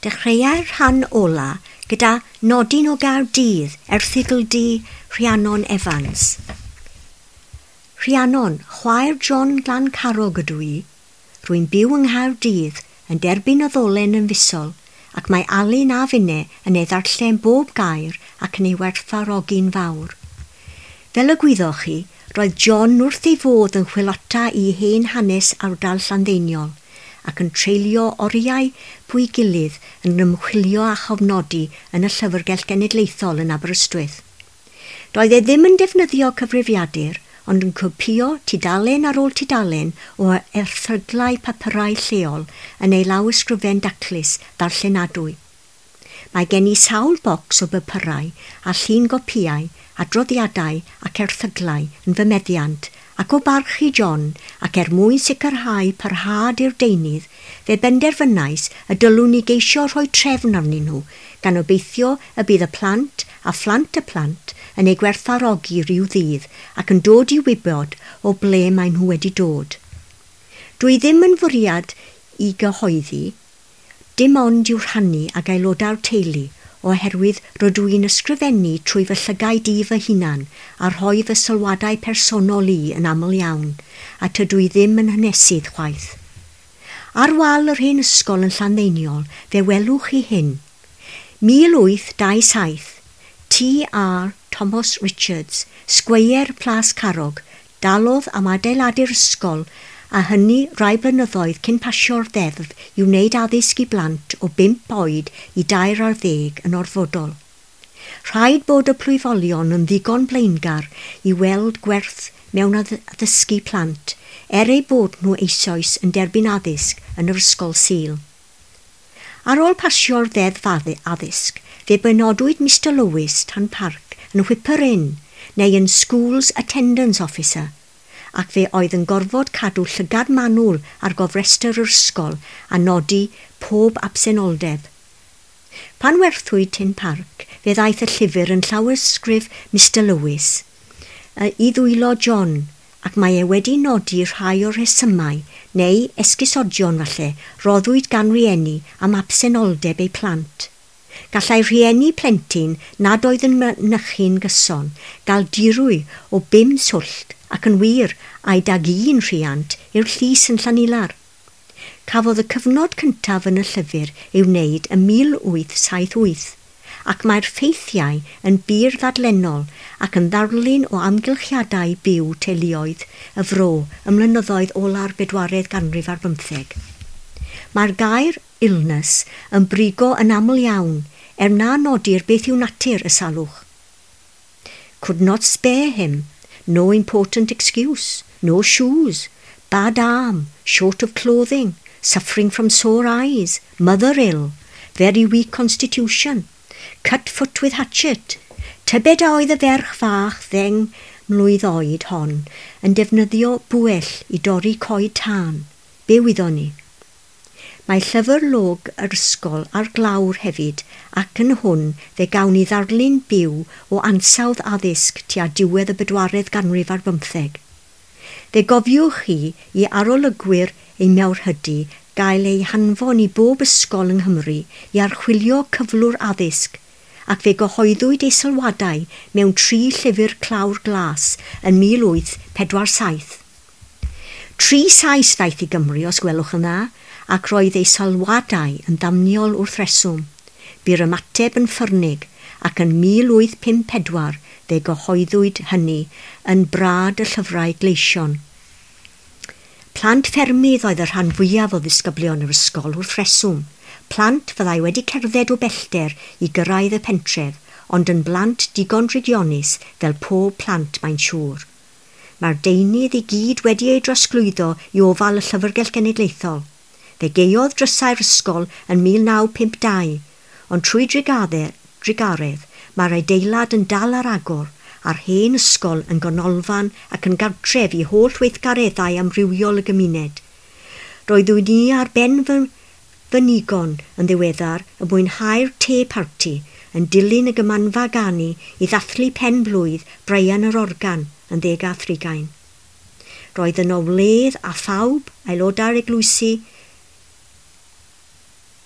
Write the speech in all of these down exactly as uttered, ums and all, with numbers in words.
Dechreuai'r rhan ola gyda nodyn o Gaerdydd, erthygl di Rhiannon Evans. Rhiannon, chwaer John Glancarog ydw i. Rwy'n byw yng Nghaerdydd, yn derbyn y ddolen yn fisol, ac mae Alun a finne yn ei ddarllen bob gair ac yn ei werthfawrogi'n fawr. Fel y gwyddoch chi, roedd John wrth ei fodd yn chwilota i hen hanes ardal Llanddeiniol ac yn treulio oriau bwy gilydd yn ymchwilio a chofnodi yn y Llyfrgell Genedlaethol yn Aberystwyth. Doedd e ddim yn defnyddio cyfrifiadur, ond yn copïo tudalen ar ôl tudalen o erthyglau papurau lleol yn ei lawysgrifen daclus ddarllenadwy. Mae gen i sawl bocs o bapurau a llun gopïau, adroddiadau ac erthyglau yn fy meddiant, ac o barch i John, ac er mwyn sicrhau parhad i'r deunydd, fe benderfynais y dylwn i geisio rhoi trefn arnyn nhw, gan obeithio y bydd y plant a phlant y plant yn ei gwerthfawrogi rhyw ddydd ac yn dod i wybod o ble maen nhw wedi dod. Dwi ddim yn fwriad i gyhoeddi, dim ond i'w rhannu ag aelodau'r teulu, oherwydd rydw i'n ysgrifennu trwy fy llygaid i fy hunan a rhoi fy sylwadau personol i yn aml iawn, a tydw i ddim yn hanesydd chwaith. Ar wal yr hen ysgol yn Llanddeiniol, fe welwch chi hyn. mil wyth dau saith, T R Thomas Richards, Sgweier Plas Carrog, dalodd am adeiladu'r ysgol a hynny rai blynyddoedd cyn pasio'r ddeddf i wneud addysg i blant o bump oed i dair ar ddeg yn orfodol. Rhaid bod y plwyfolion yn ddigon blaengar i weld gwerth mewn addysgu plant, er eu bod nhw eisoes yn derbyn addysg yn yr ysgol Sul. Ar ôl pasio'r ddeddf addysg, fe benodwyd Mister Lewis Tan Parc yn Whipper-in neu yn Schools Attendance Officer, ac fe oedd yn gorfod cadw llygad manwl ar gofrestr yr ysgol a nodi pob absenoldeb. Pan werthwyd Tyn Parc, fe ddaeth y llyfr yn llawysgrif Mister Lewis i ddwylo John, ac mae e wedi nodi rhai o'r rhesymau, neu esgusodion falle, roddwyd gan rieni am absenoldeb eu plant. Gallai rhieni plentyn nad oedd yn mynychu'n gyson gael dirwy o bum swllt ac yn wir a'i dag un rhiant i'r llys yn Llanilar. Cafodd y cyfnod cyntaf yn y llyfr ei wneud ym mil wyth saith wyth, ac mae'r ffeithiau yn bur ddadlennol ac yn ddarlun o amgylchiadau byw teuluoedd y fro ym mlynyddoedd ola'r bedwaredd ganrif ar bymtheg. Mae'r gair illness yn brigo yn aml iawn, er na nodir beth yw natur y salwch. Could not spare him, no important excuse, no shoes, bad arm, short of clothing, suffering from sore eyes, mother ill, very weak constitution, cut foot with hatchet. Tybed a oedd y ferch fach ddeng mlwydd oed hon yn defnyddio bwyell i dorri coed tân. Be wyddon ni? Mae llyfr log yr ysgol ar glawr hefyd, ac yn hwn fe gawn ni ddarlun byw o ansawdd addysg tua diwedd y bedwaredd ganrif ar bymtheg. Fe gofiwch chi i arolygwyr ei mawrhydi gael eu hanfon i bob ysgol yng Nghymru i archwilio cyflwr addysg, ac fe gyhoeddwyd ei sylwadau mewn tri llyfr clawr glas yn mil wyth pedwar saith. Tri Sais ddaeth i Gymru, os gwelwch yn dda, ac roedd ei sylwadau yn ddamniol wrth reswm. Bu'r ymateb yn ffyrnig, ac yn mil wyth pump pedwar fe gyhoeddwyd hynny yn brad y llyfrau gleision. Plant ffermydd oedd y rhan fwyaf o ddisgyblion yr ysgol wrth reswm. Plant fyddai wedi cerdded o bellter i gyrraedd y pentref, ond yn blant digon drygionus fel pob plant mae'n siŵr. Mae'r deunydd i gyd wedi ei drosglwyddo i ofal y Llyfrgell Genedlaethol. Fe gaeodd drysau'r ysgol yn mil naw pump dau, ond trwy drugaredd mae'r adeilad yn dal ar agor a'r hen ysgol yn ganolfan ac yn gartref i holl weithgareddau amrywiol y gymuned. Roeddwn i ar ben fy, fy nigon yn ddiweddar yn mwynhau'r te parti yn dilyn y gymanfa ganu i ddathlu pen blwydd Brian yr Organ yn ddeg a thrigain. Roedd yno wledd a phawb, aelodau'r eglwysi,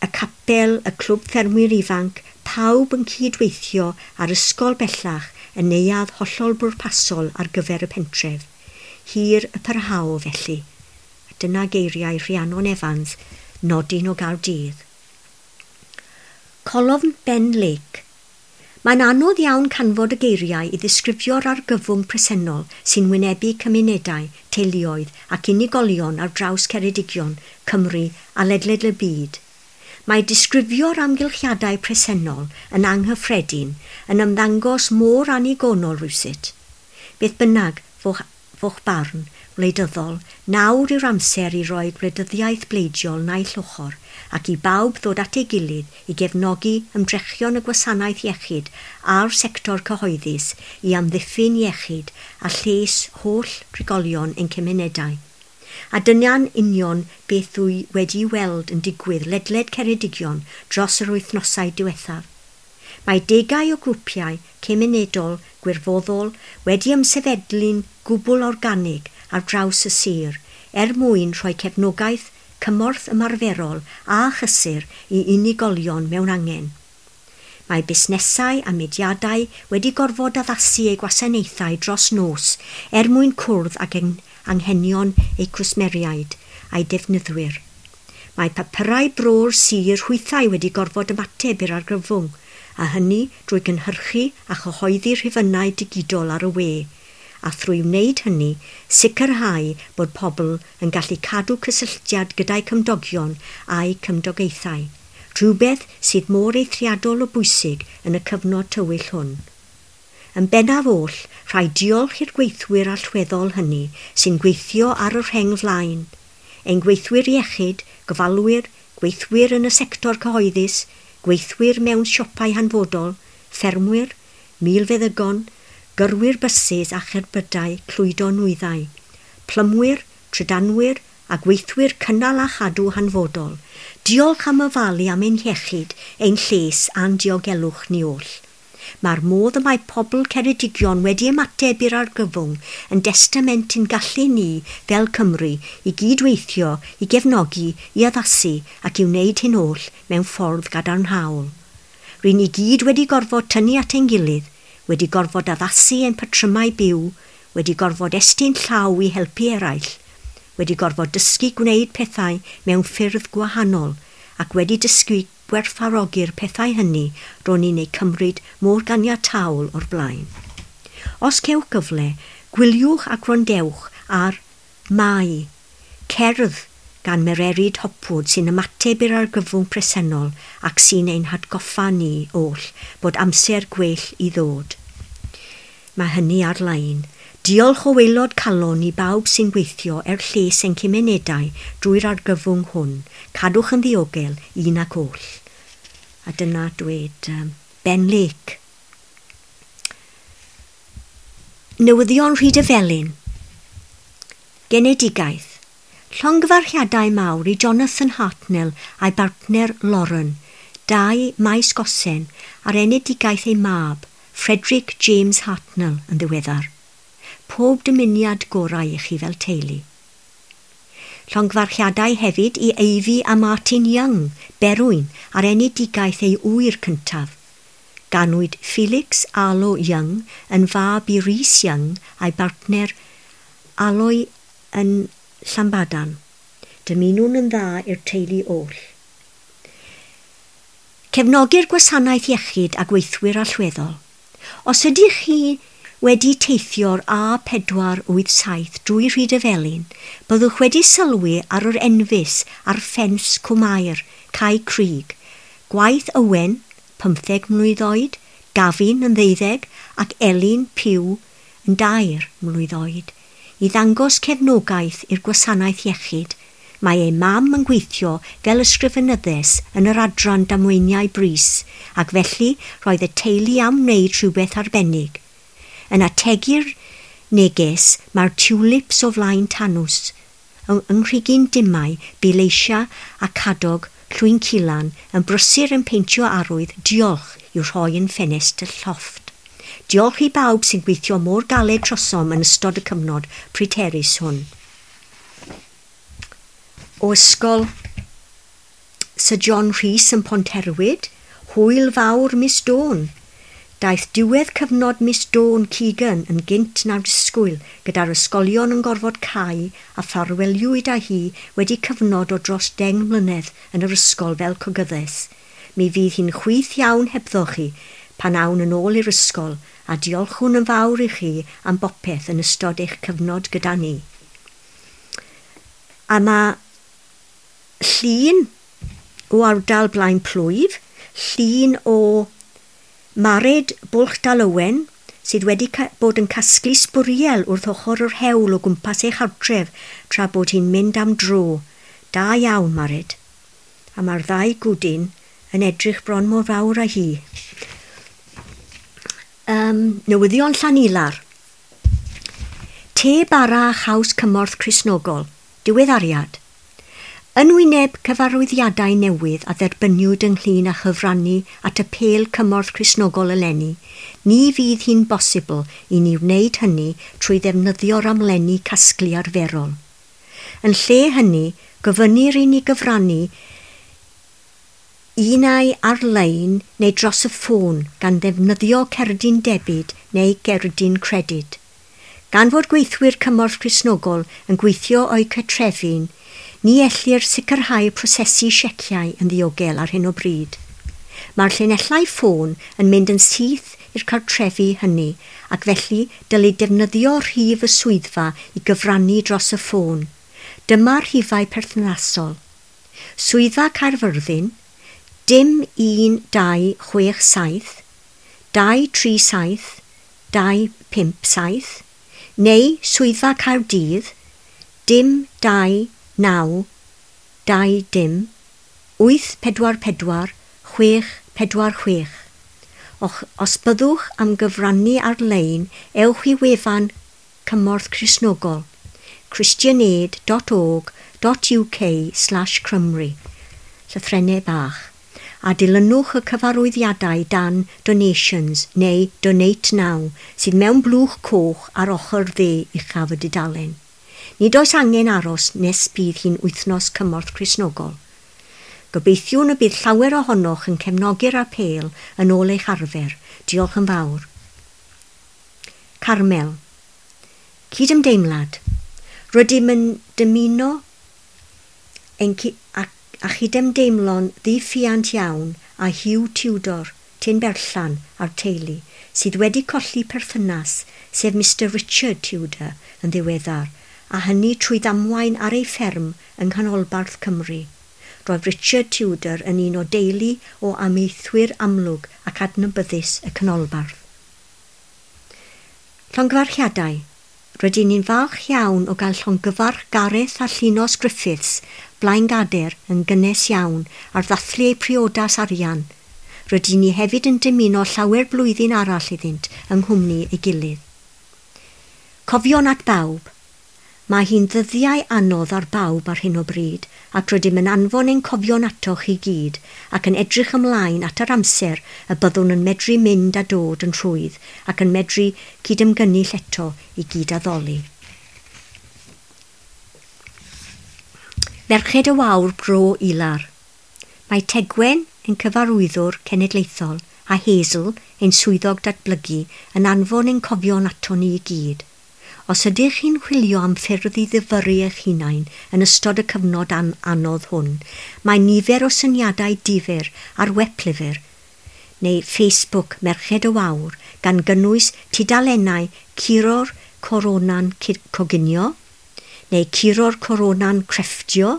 Y capel, y clwb ffermwyr ifanc, pawb yn cydweithio a'r ysgol bellach yn neuadd hollol bwrpasol ar gyfer y pentref. Hir y parhao felly. A dyna geiriau Rhiannon Evans, nodyn o Gaerdydd. Colofn Ben Lake. Mae'n anodd iawn canfod y geiriau i ddisgrifio'r argyfwng presennol sy'n wynebu cymunedau, teuluoedd ac unigolion ar draws Ceredigion, Cymru a ledled y byd. Mae disgrifio'r amgylchiadau presennol yn anghyffredin yn ymddangos mor annigonol rywsut. Beth bynnag fo'ch, fo'ch barn wleidyddol, nawr yw'r amser i roi gwleidyddiaeth bleidiol naill ochr ac i bawb ddod at ei gilydd i gefnogi ymdrechion y gwasanaeth iechyd a'r sector cyhoeddus i amddiffyn iechyd a lles holl drigolion ein cymunedau. A dyna'n union beth dwi wedi weld yn digwydd ledled Ceredigion dros yr wythnosau diwethaf. Mae degau o grwpiau cymunedol gwirfoddol wedi ymsefydlu'n gwbl organig ar draws y sir er mwyn rhoi cefnogaeth, cymorth ymarferol a chysur i unigolion mewn angen. Mae busnesau a mudiadau wedi gorfod addasu eu gwasanaethau dros nos er mwyn cwrdd ag anghenion eu cwsmeriaid a'u defnyddwyr. Mae papurau bro'r sir hwythau wedi gorfod ymateb i'r argyfwng, a hynny drwy gynhyrchu a chyhoeddi rhifynnau digidol ar y we, a thrwy wneud hynny sicrhau bod pobl yn gallu cadw cysylltiad gyda'i cymdogion a'u cymdogaethau, rhywbeth sydd mor eithriadol o bwysig yn y cyfnod tywyll hwn. Yn bennaf oll, rhaid diolch i'r gweithwyr allweddol hynny sy'n gweithio ar y rheng flaen, ein gweithwyr iechyd, gofalwyr, gweithwyr yn y sector cyhoeddus, gweithwyr mewn siopau hanfodol, ffermwyr, milfeddygon, gyrwyr bysus a cherbydau clwydo nwyddau, plymwyr, trydanwyr a gweithwyr cynnal a chadw hanfodol. Diolch am ofalu am ein hiechyd, ein lles a'n diogelwch ni oll. Mae'r modd y mae pobl Ceredigion wedi ymateb i'r argyfwng yn destament i'n gallu ni fel Cymru i gydweithio, i gefnogi, i addasu ac i wneud hyn oll mewn ffordd gadarnhaol. Ry'n ni gyd wedi gorfod tynnu at ein gilydd, wedi gorfod addasu ein patrymau byw, wedi gorfod estyn llaw i helpu eraill, wedi gorfod dysgu gwneud pethau mewn ffyrdd gwahanol ac wedi dysgu gwerthfawrogi'r pethau hynny ro'n ni'n eu cymryd mor ganiataol o'r blaen. Os cewch gyfle, gwyliwch a gwrandewch ar Mai, cerdd gan Mererid Hopwood sy'n ymateb i'r argyfwng presennol ac sy'n ein hatgoffa ni oll bod amser gwell i ddod. Mae hynny ar-lein. Diolch o waelod calon i bawb sy'n gweithio er lles ein cymunedau drwy'r argyfwng hwn. Cadwch yn ddiogel un ac oll. A dyna dweud um, Ben Lake. Newyddion Rhydyfelin. Genedigaeth. Llongyfarchiadau mawr i Jonathan Hartnell a'i bartner Lauren, dau Maes Gosen, ar enedigaeth ei mab, Frederick James Hartnell, yn ddiweddar. Pob dymuniad gorau i chi fel teulu. Llongyfarchiadau hefyd i Ivy a Martin Young, Berwyn, ar enedigaeth ei ŵyr cyntaf. Ganwyd Felix Arlo Young yn fab i Rhys Young a'i bartner Aloy yn Llanbadarn. Dymunwn yn dda i'r teulu oll. Cefnogi'r gwasanaeth iechyd a gweithwyr allweddol. Os ydych chi wedi teithio'r A pedwar wyth saith drwy Rhydyfelin, byddwch wedi sylwi ar yr enfys ar ffens Cwmair, Cae Crug, gwaith Owen, pymtheg mlwydd oed, Gavin yn ddeuddeg ac Elin Pugh yn dair mlwydd oed, i ddangos cefnogaeth i'r gwasanaeth iechyd. Mae ei mam yn gweithio fel ysgrifenyddes yn yr adran damweiniau brys, ac felly roedd y teulu am wneud rhywbeth arbennig. Yn ategu'r neges mae'r tulips o flaen Tanws. Yng Nghrugyn Dimau, bu Leisia a Cadog Llwyn Cilan yn brysur yn peintio arwydd diolch i'w rhoi yn ffenest y llofft. Diolch i bawb sy'n gweithio mor galed trosom yn ystod y cyfnod pryderus hwn. O ysgol Sir John Rhys yn Ponterwyd, hwyl fawr Miss Dawn. Daeth diwedd cyfnod Miss Dawn Keegan yn gynt na'r disgwyl, gyda'r ysgolion yn gorfod cau a ffarweliwyd â hi wedi cyfnod o dros deng mlynedd yn yr ysgol fel cogyddes. Mi fydd hi'n chwith iawn hebddo chi pan awn yn ôl i'r ysgol a diolchwn yn fawr i chi am bopeth yn ystod eich cyfnod gyda ni. A mae llun o ardal Blaen Plwyf, llun o Mared Bwlch Dal Owen, sydd wedi bod yn casglu sbwriel wrth ochr yr hewl o gwmpas ei chartref tra bod hi'n mynd am dro. Da iawn, Mared. A mae'r ddau gwdyn yn edrych bron mor fawr â hi. Um, newyddion Llanilar. Te bara a chaws cymorth Cristnogol. Diweddariad. Yn wyneb cyfarwyddiadau newydd a dderbyniwyd ynglyn â chyfrannu at apêl cymorth Cristnogol eleni, ni fydd hi'n bosibl i ni wneud hynny trwy ddefnyddio'r amlenni casglu arferol. Yn lle hynny, gofynnir i ni gyfrannu unai ar-lein neu dros y ffôn gan ddefnyddio cerdyn debyd neu gerdyn credyd. Gan fod gweithwyr cymorth Cristnogol yn gweithio o'u cartrefi, ni ellir sicrhau prosesu sieciau yn ddiogel ar hyn o bryd. Mae'r llinellau ffôn yn mynd yn syth i'r cartrefi hynny ac felly dylid defnyddio rhif y swyddfa i gyfrannu dros y ffôn. Dyma'r rhifau perthnasol. Swyddfa Caerfyrddin, dim un dau chwech saith, dau tri saith, dau pump saith, neu Swyddfa Caerdydd, dim dau naw, dau dim, wyth pedwar pedwar, chwech pedwar chwech. Och, os byddwch am gyfrannu ar-lein, ewch i wefan Cymorth Cristnogol, christianaid dot org dot uk slash Cymru, llythrennau bach, a dilynwch y cyfarwyddiadau dan Donations neu Donate Now sydd mewn blwch coch ar ochr dde uchaf y dudalen. Nid oes angen aros nes bydd hi'n wythnos cymorth Cristnogol. Gobeithiwn y bydd llawer ohonoch yn cefnogi'r apêl yn ôl eich arfer. Diolch yn fawr. Carmel. Cydymdeimlad. Rydym yn dymuno ein a, a chydymdeimlo'n ddiffuant iawn â Hugh Tudor, Tyn Berllan a'r teulu, sydd wedi colli perthynas, sef Mister Richard Tudor, yn ddiweddar, a hynny trwy ddamwain ar ei fferm yng Nghanolbarth Cymru. Roedd Richard Tudor yn un o deulu o amaethwyr amlwg ac adnabyddus y canolbarth. Llongyfarchiadau. Rydyn ni'n falch iawn o gael llongyfarch Gareth a Llinos Griffiths, Blaengader, yn gynnes iawn ar ddathlu eu priodas arian. Rydyn ni hefyd yn dymuno llawer blwyddyn arall iddynt yng nghwmni ei gilydd. Cofion at bawb. Mae hi'n ddyddiau anodd ar bawb ar hyn o bryd, ac rydym yn anfon ein cofion atoch i gyd ac yn edrych ymlaen at yr amser y byddwn yn medru mynd a dod yn rhwydd ac yn medru cydymgynnull eto i gyd addoli. Merched y Wawr Bro Ilar. Mae Tegwen yn cyfarwyddwr cenedlaethol a Hazel, ein swyddog datblygu, yn anfon ein cofion ato ni i gyd. Os ydych chi'n chwilio am ffyrdd i ddifyrru eich hunain yn ystod y cyfnod an anodd hwn, mae nifer o syniadau difyr ar weplyfr neu Facebook Merched y Wawr gan gynnwys tudalennau Curo'r Corona'n Coginio, neu Curo'r Corona'n Crefftio,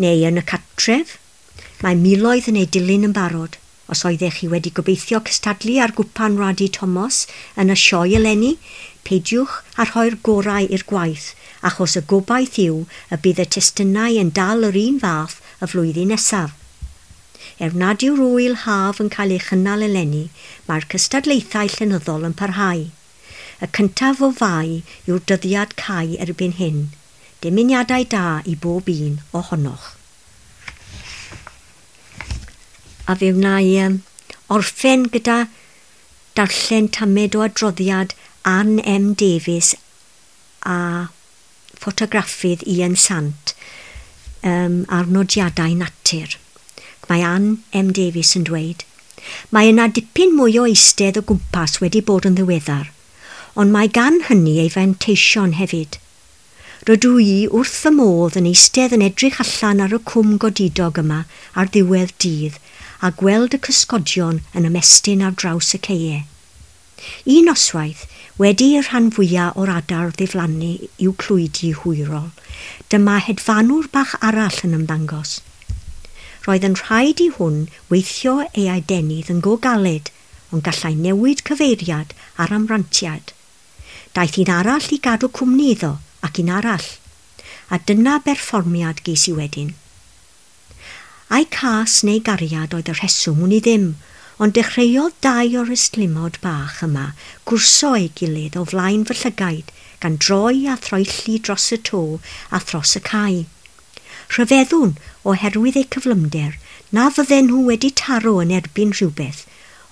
neu yn y cartref. Mae miloedd yn ei dilyn yn barod. Os oeddech chi wedi gobeithio cystadlu ar gwpan Radi Thomas yn y sioe eleni, peidiwch â rhoi'r gorau i'r gwaith, achos y gobaith yw y bydd y testunau yn dal yr un fath y flwyddyn nesaf. Er nad yw'r ŵyl haf yn cael ei chynnal eleni, mae'r cystadlaethau llenyddol yn parhau. Y cyntaf o Fai yw'r dyddiad cau erbyn hyn. Dymuniadau da i bob un ohonoch. A fe wna i um, orffen gyda darllen tamed o adroddiad Anne M Davies a ffotograffydd Ian Sant um, ar nodiadau natur. mae Ann M Davies yn dweud, "Mae yna dipyn mwy o eistedd o gwmpas wedi bod yn ddiweddar, ond mae gan hynny ei fanteision hefyd. Rydw i wrth fy modd yn eistedd yn edrych allan ar y cwm godidog yma ar ddiwedd dydd a gweld y cysgodion yn ymestyn ar draws y caeau. Un noswaith, wedi i'r rhan fwyaf o'r adar ddiflannu i'w clwydi hwyrol, dyma hedfanwr bach arall yn ymddangos. Roedd yn rhaid i hwn weithio ei adenydd yn go galed, ond gallai newid cyfeiriad ar amrantiad. Daeth un arall i gadw cwmni iddo, ac un arall, a dyna berfformiad ges i wedyn. Ai cas neu gariad oedd y rheswm wn i ddim, ond dechreuodd dau o'r ystlumod bach yma gwrso ei gilydd o flaen fy llygaid, gan droi a throelli dros y to a thros y cae. Rhyfeddwn, oherwydd eu cyflymder, na fydden nhw wedi taro yn erbyn rhywbeth,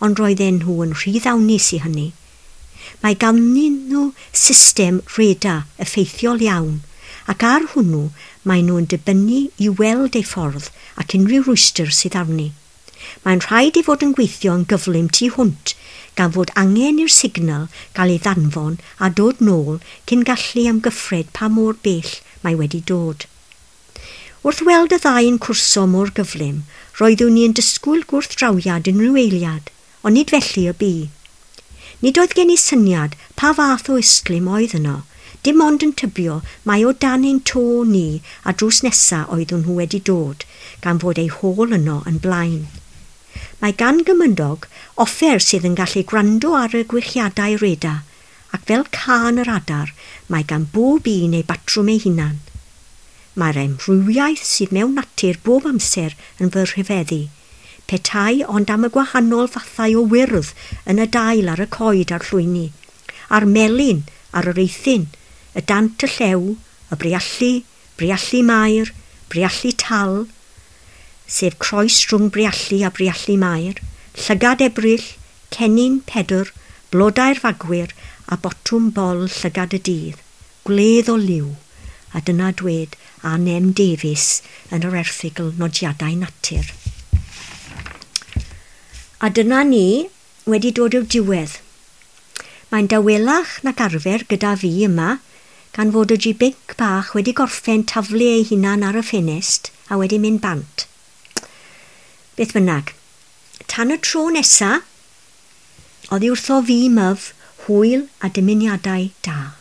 ond roedden nhw yn rhy ddawnus i hynny. Mae ganddyn nhw system radar effeithiol iawn, ac ar hwnnw maen nhw yn dibynnu i weld eu ffordd ac unrhyw rwystr sydd arni. Mae'n rhaid ei fod yn gweithio yn gyflym tu hwnt, gan fod angen i'r signal gael ei ddanfon a dod nôl cyn gallu amgyffred pa mor bell mae wedi dod. Wrth weld y ddau yn cwrso mor gyflym, roeddwn i yn disgwyl gwrthdrawiad unrhyw eiliad, ond nid felly y bu. Nid oedd gen i syniad pa fath o ystlum oedd yno, dim ond yn tybio mai o dan ein to ni a drws nesa oeddwn nhw wedi dod, gan fod eu hôl yno yn blaen. Mae gan gymydog offer sydd yn gallu gwrando ar y gwichiadau radar, ac fel cân yr adar, mae gan bob un ei batrwm ei hunan. Mae'r amrywiaeth sydd mewn natur bob amser yn fy rhyfeddu, petai ond am y gwahanol fathau o wyrdd yn y dail ar y coed a'r llwyni, a'r melyn ar yr eithin, y dant y llew, y briallu, briallu mair, briallu tal, sef croes rhwng briallu a briallu mair, llygad Ebrill, cennin Pedr, blodau'r fagwyr a botwm bol llygad y dydd, gwledd o liw, a dyna dwed Ann M Davies yn yr erthygl Nodiadau Natur. A dyna ni wedi dod i'r diwedd. Mae'n dawelach nag arfer gyda fi yma, gan fod y ji-binc bach wedi gorffen taflu ei hunan ar y ffenest a wedi mynd bant. Beth bynnag, tan y tro nesa, oddi wrtho fi myf, hwyl a dymuniadau da.